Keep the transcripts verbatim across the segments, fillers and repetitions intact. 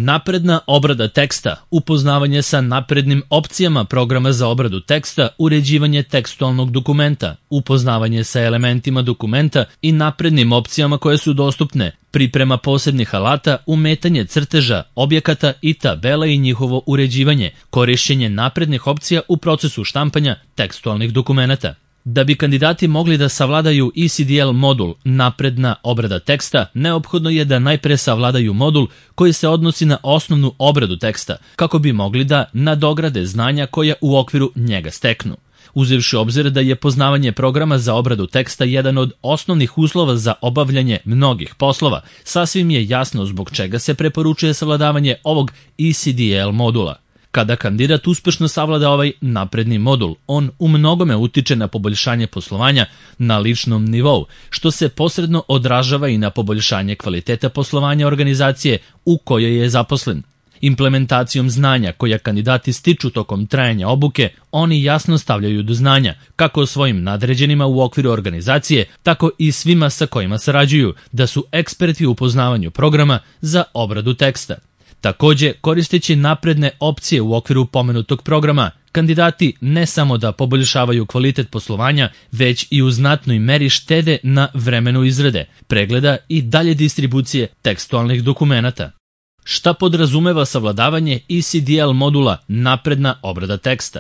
Napredna obrada teksta, upoznavanje sa naprednim opcijama programa za obradu teksta, uređivanje tekstualnog dokumenta, upoznavanje sa elementima dokumenta i naprednim opcijama koje su dostupne, priprema posebnih alata, umetanje crteža, objekata i tabela i njihovo uređivanje, korišćenje naprednih opcija u procesu štampanja tekstualnih dokumenata. Da bi kandidati mogli da savladaju E C D L modul napredna obrada teksta, neophodno je da najpre savladaju modul koji se odnosi na osnovnu obradu teksta, kako bi mogli da nadograde znanja koja u okviru njega steknu. Uzevši obzir da je poznavanje programa za obradu teksta jedan od osnovnih uslova za obavljanje mnogih poslova, sasvim je jasno zbog čega se preporučuje savladavanje ovog E C D L modula. Kada kandidat uspešno savlada ovaj napredni modul, on u mnogome utiče na poboljšanje poslovanja na ličnom nivou, što se posredno odražava i na poboljšanje kvaliteta poslovanja organizacije u kojoj je zaposlen. Implementacijom znanja koja kandidati stiču tokom trajanja obuke, oni jasno stavljaju do znanja, kako svojim nadređenima u okviru organizacije, tako i svima sa kojima sarađuju, da su eksperti u poznavanju programa za obradu teksta. Takođe, koristeći napredne opcije u okviru pomenutog programa, kandidati ne samo da poboljšavaju kvalitet poslovanja, već i u znatnoj meri štede na vremenu izrade, pregleda i dalje distribucije tekstualnih dokumenata. Šta podrazumeva savladavanje E C D L modula napredna obrada teksta?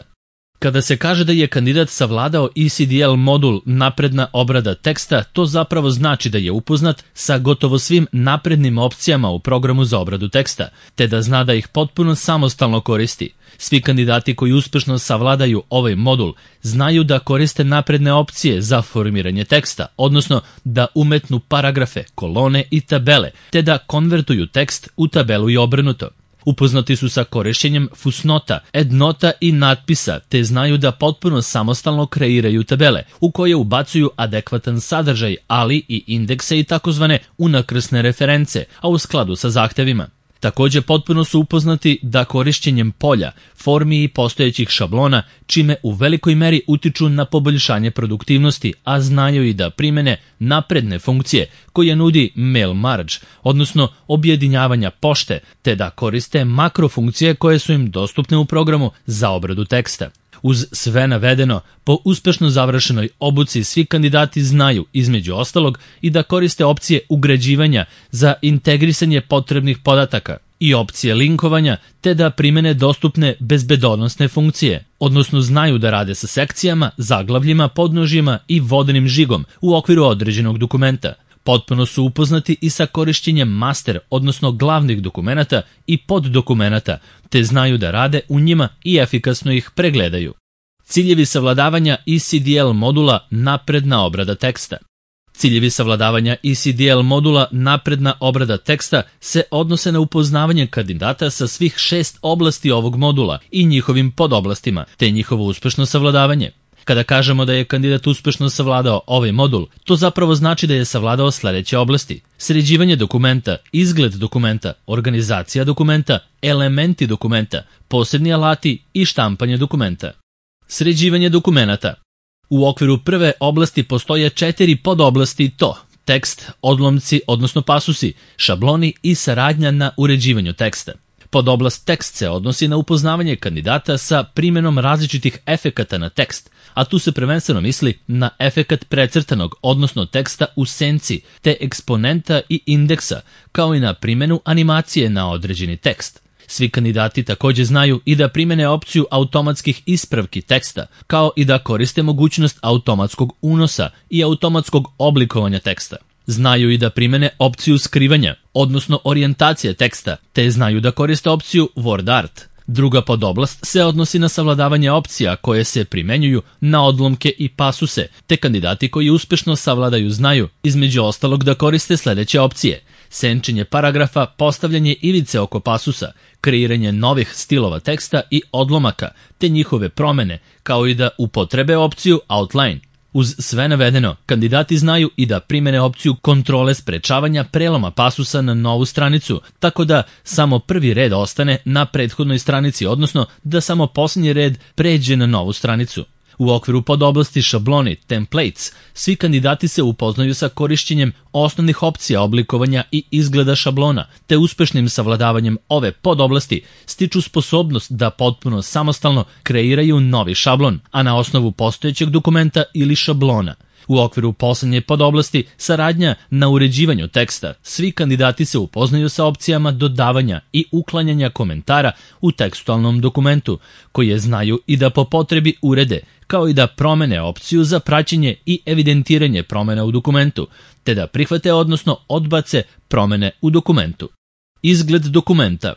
Kada se kaže da je kandidat savladao E C D L modul napredna obrada teksta, to zapravo znači da je upoznat sa gotovo svim naprednim opcijama u programu za obradu teksta, te da zna da ih potpuno samostalno koristi. Svi kandidati koji uspešno savladaju ovaj modul znaju da koriste napredne opcije za formiranje teksta, odnosno da umetnu paragrafe, kolone i tabele, te da konvertuju tekst u tabelu i obrnuto. Upoznati su sa korišćenjem fusnota, endnota i natpisa, te znaju da potpuno samostalno kreiraju tabele, u koje ubacuju adekvatan sadržaj, ali i indekse i takozvane unakrsne reference, a u skladu sa zahtevima. Takođe, potpuno su upoznati da korišćenjem polja, formi i postojećih šablona, čime u velikoj meri utiču na poboljšanje produktivnosti, a znaju i da primene napredne funkcije koje nudi mail merge, odnosno objedinjavanja pošte, te da koriste makrofunkcije koje su im dostupne u programu za obradu teksta. Uz sve navedeno, po uspešno završenoj obuci svi kandidati znaju, između ostalog, i da koriste opcije ugrađivanja za integrisanje potrebnih podataka i opcije linkovanja, te da primene dostupne bezbedonosne funkcije, odnosno znaju da rade sa sekcijama, zaglavljima, podnožjima i vodenim žigom u okviru određenog dokumenta. Potpuno su upoznati i sa korišćenjem master, odnosno glavnih dokumenata i poddokumenata, te znaju da rade u njima i efikasno ih pregledaju. Ciljevi savladavanja E C D L modula napredna obrada teksta. Ciljevi savladavanja E C D L modula napredna obrada teksta se odnose na upoznavanje kandidata sa svih šest oblasti ovog modula i njihovim podoblastima, te njihovo uspešno savladavanje. Kada kažemo da je kandidat uspešno savladao ovaj modul, to zapravo znači da je savladao sledeće oblasti: sređivanje dokumenta, izgled dokumenta, organizacija dokumenta, elementi dokumenta, posebni alati i štampanje dokumenta. Sređivanje dokumenata. U okviru prve oblasti postoje četiri podoblasti i to: tekst, odlomci, odnosno pasusi, šabloni i saradnja na uređivanju teksta. Podoblast tekst se odnosi na upoznavanje kandidata sa primjenom različitih efekata na tekst, a tu se prvenstveno misli na efekat precrtanog, odnosno teksta u senci, te eksponenta i indeksa, kao i na primjenu animacije na određeni tekst. Svi kandidati takođe znaju i da primene opciju automatskih ispravki teksta, kao i da koriste mogućnost automatskog unosa i automatskog oblikovanja teksta. Znaju i da primene opciju skrivanja, odnosno orijentacije teksta, te znaju da koriste opciju Word Art. Druga podoblast se odnosi na savladavanje opcija koje se primenjuju na odlomke i pasuse, te kandidati koji uspešno savladaju znaju, između ostalog, da koriste sledeće opcije: senčenje paragrafa, postavljanje ivice oko pasusa, kreiranje novih stilova teksta i odlomaka, te njihove promene, kao i da upotrebe opciju Outline. Uz sve navedeno, kandidati znaju i da primene opciju kontrole sprečavanja preloma pasusa na novu stranicu, tako da samo prvi red ostane na prethodnoj stranici, odnosno da samo posljednji red pređe na novu stranicu. U okviru podoblasti šabloni templates, svi kandidati se upoznaju sa korišćenjem osnovnih opcija oblikovanja i izgleda šablona, te uspešnim savladavanjem ove podoblasti stiču sposobnost da potpuno samostalno kreiraju novi šablon, a na osnovu postojećeg dokumenta ili šablona. U okviru poslednje podoblasti saradnja na uređivanju teksta, svi kandidati se upoznaju sa opcijama dodavanja i uklanjanja komentara u tekstualnom dokumentu, koje znaju i da po potrebi urede, kao i da promene opciju za praćenje i evidentiranje promena u dokumentu, te da prihvate odnosno odbace promene u dokumentu. Izgled dokumenta.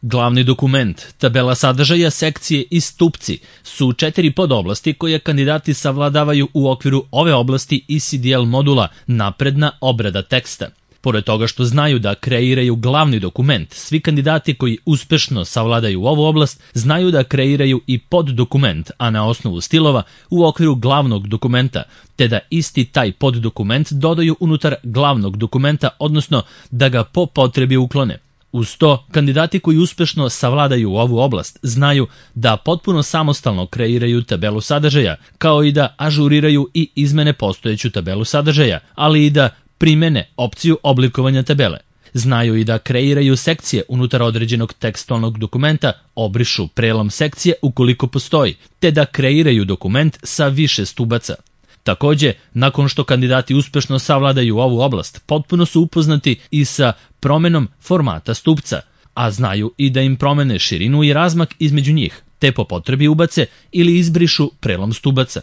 Glavni dokument, tabela sadržaja, sekcije i stupci su četiri podoblasti koje kandidati savladavaju u okviru ove oblasti E C D L modula napredna obrada teksta. Pored toga što znaju da kreiraju glavni dokument, svi kandidati koji uspešno savladaju ovu oblast znaju da kreiraju i poddokument, a na osnovu stilova u okviru glavnog dokumenta, te da isti taj poddokument dodaju unutar glavnog dokumenta, odnosno da ga po potrebi uklone. Uz to, kandidati koji uspešno savladaju ovu oblast znaju da potpuno samostalno kreiraju tabelu sadržaja, kao i da ažuriraju i izmene postojeću tabelu sadržaja, ali i da primene opciju oblikovanja tabele. Znaju i da kreiraju sekcije unutar određenog tekstualnog dokumenta, obrišu prelom sekcije ukoliko postoji, te da kreiraju dokument sa više stubaca. Takođe, nakon što kandidati uspešno savladaju ovu oblast, potpuno su upoznati i sa promenom formata stupca, a znaju i da im promene širinu i razmak između njih, te po potrebi ubace ili izbrišu prelom stubaca.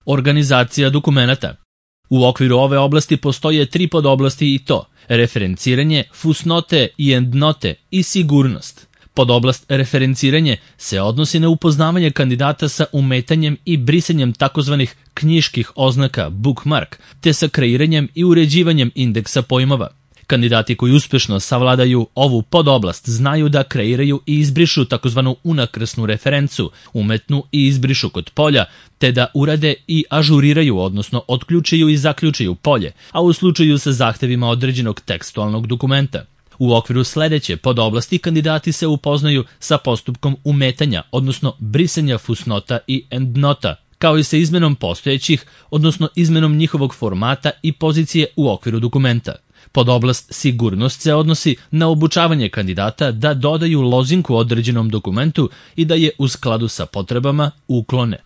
Organizacija dokumenata. U okviru ove oblasti postoje tri podoblasti i to: referenciranje, fusnote i endnote i sigurnost. Podoblast referenciranje se odnosi na upoznavanje kandidata sa umetanjem i brisanjem takozvanih knjiških oznaka bookmark, te sa kreiranjem i uređivanjem indeksa pojmova. Kandidati koji uspešno savladaju ovu podoblast znaju da kreiraju i izbrišu takozvanu unakrsnu referencu, umetnu i izbrišu kod polja, te da urade i ažuriraju, odnosno otključaju i zaključaju polje, a u slučaju sa zahtevima određenog tekstualnog dokumenta. U okviru sledeće podoblasti kandidati se upoznaju sa postupkom umetanja, odnosno brisanja fusnota i endnota, kao i sa izmenom postojećih, odnosno izmenom njihovog formata i pozicije u okviru dokumenta. Podoblast sigurnost se odnosi na obučavanje kandidata da dodaju lozinku određenom dokumentu i da je u skladu sa potrebama uklone.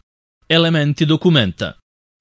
Elementi dokumenta.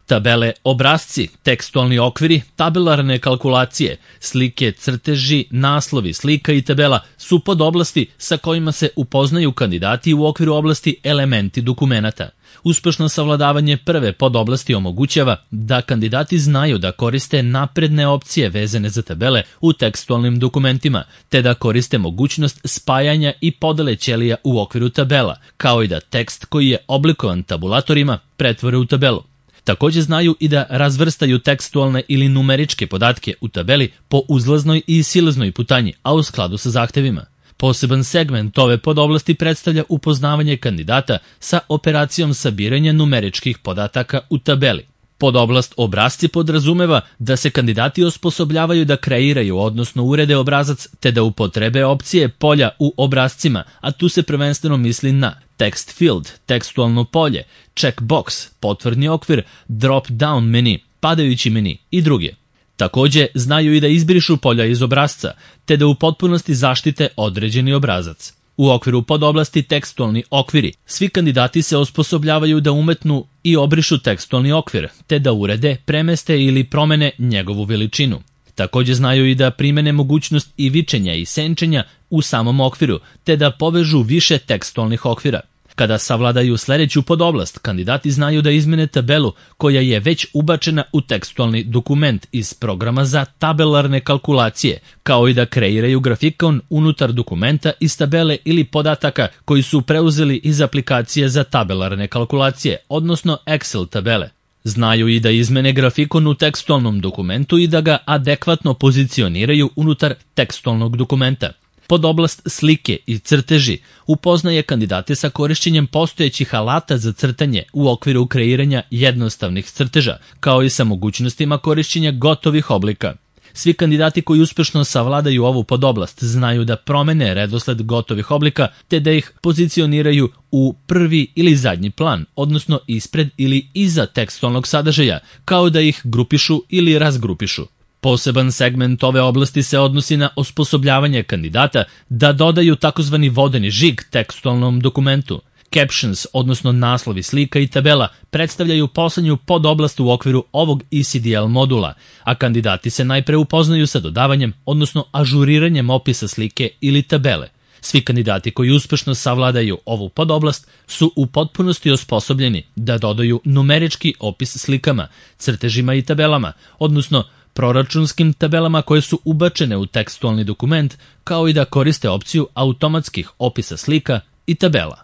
Tabele, obrasci, tekstualni okviri, tabelarne kalkulacije, slike, crteži, naslovi, slika i tabela su podoblasti sa kojima se upoznaju kandidati u okviru oblasti elementi dokumenata. Uspešno savladavanje prve podoblasti omogućava da kandidati znaju da koriste napredne opcije vezane za tabele u tekstualnim dokumentima, te da koriste mogućnost spajanja i podele ćelija u okviru tabela, kao i da tekst koji je oblikovan tabulatorima pretvore u tabelu. Takođe znaju i da razvrstaju tekstualne ili numeričke podatke u tabeli po uzlaznoj i silaznoj putanji, a u skladu sa zahtevima. Poseban segment ove podoblasti predstavlja upoznavanje kandidata sa operacijom sabiranja numeričkih podataka u tabeli. Podoblast obrasci podrazumeva da se kandidati osposobljavaju da kreiraju, odnosno urede obrazac, te da upotrebe opcije polja u obrascima, a tu se prvenstveno misli na text field, tekstualno polje, checkbox, potvrdni okvir, drop-down meni, padajući meni i druge. Takođe, znaju i da izbrišu polja iz obrazca, te da u potpunosti zaštite određeni obrazac. U okviru podoblasti tekstualni okviri, svi kandidati se osposobljavaju da umetnu i obrišu tekstualni okvir, te da urede, premeste ili promene njegovu veličinu. Takođe znaju i da primene mogućnost ivičenja i senčenja u samom okviru, te da povežu više tekstualnih okvira. Kada savladaju sledeću podoblast, kandidati znaju da izmene tabelu koja je već ubačena u tekstualni dokument iz programa za tabelarne kalkulacije, kao i da kreiraju grafikon unutar dokumenta iz tabele ili podataka koji su preuzeli iz aplikacije za tabelarne kalkulacije, odnosno Excel tabele. Znaju i da izmene grafikon u tekstualnom dokumentu i da ga adekvatno pozicioniraju unutar tekstualnog dokumenta. Podoblast slike i crteži upoznaje kandidate sa korišćenjem postojećih alata za crtanje u okviru kreiranja jednostavnih crteža, kao i sa mogućnostima korišćenja gotovih oblika. Svi kandidati koji uspešno savladaju ovu podoblast znaju da promene redosled gotovih oblika te da ih pozicioniraju u prvi ili zadnji plan, odnosno ispred ili iza tekstualnog sadržaja, kao da ih grupišu ili razgrupišu. Poseban segment ove oblasti se odnosi na osposobljavanje kandidata da dodaju takozvani vodeni žig tekstualnom dokumentu. Captions, odnosno naslovi slika i tabela, predstavljaju poslednju podoblast u okviru ovog E C D L modula, a kandidati se najpre upoznaju sa dodavanjem, odnosno ažuriranjem opisa slike ili tabele. Svi kandidati koji uspešno savladaju ovu podoblast su u potpunosti osposobljeni da dodaju numerički opis slikama, crtežima i tabelama, odnosno proračunskim tabelama koje su ubačene u tekstualni dokument, kao i da koriste opciju automatskih opisa slika i tabela.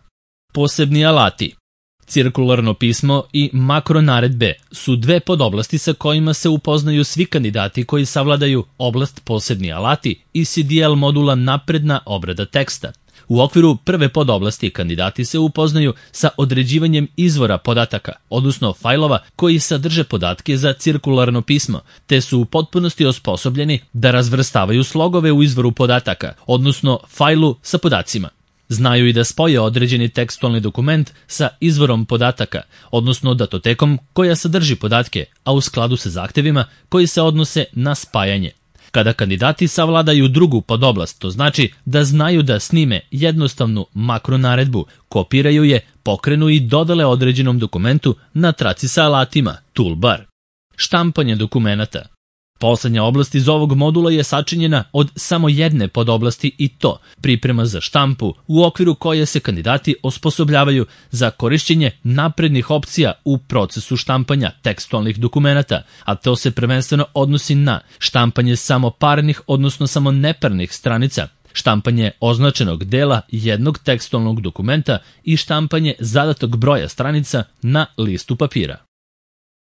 Posebni alati. Cirkularno pismo i makronaredbe su dve podoblasti sa kojima se upoznaju svi kandidati koji savladaju oblast posebni alati E C D L modula napredna obrada teksta. U okviru prve podoblasti kandidati se upoznaju sa određivanjem izvora podataka, odnosno fajlova koji sadrže podatke za cirkularno pismo, te su u potpunosti osposobljeni da razvrstavaju slogove u izvoru podataka, odnosno fajlu sa podacima. Znaju i da spoje određeni tekstualni dokument sa izvorom podataka, odnosno datotekom koja sadrži podatke, a u skladu sa zahtevima koji se odnose na spajanje. Kada kandidati savladaju drugu podoblast, to znači da znaju da snime jednostavnu makronaredbu, kopiraju je, pokrenu i dodale određenom dokumentu na traci sa alatima Toolbar. Štampanje dokumenata. Poslednja oblast iz ovog modula je sačinjena od samo jedne podoblasti i to priprema za štampu u okviru koje se kandidati osposobljavaju za korišćenje naprednih opcija u procesu štampanja tekstualnih dokumenata, a to se prvenstveno odnosi na štampanje samo parnih, odnosno samo neparnih stranica, štampanje označenog dela jednog tekstualnog dokumenta i štampanje zadatog broja stranica na listu papira.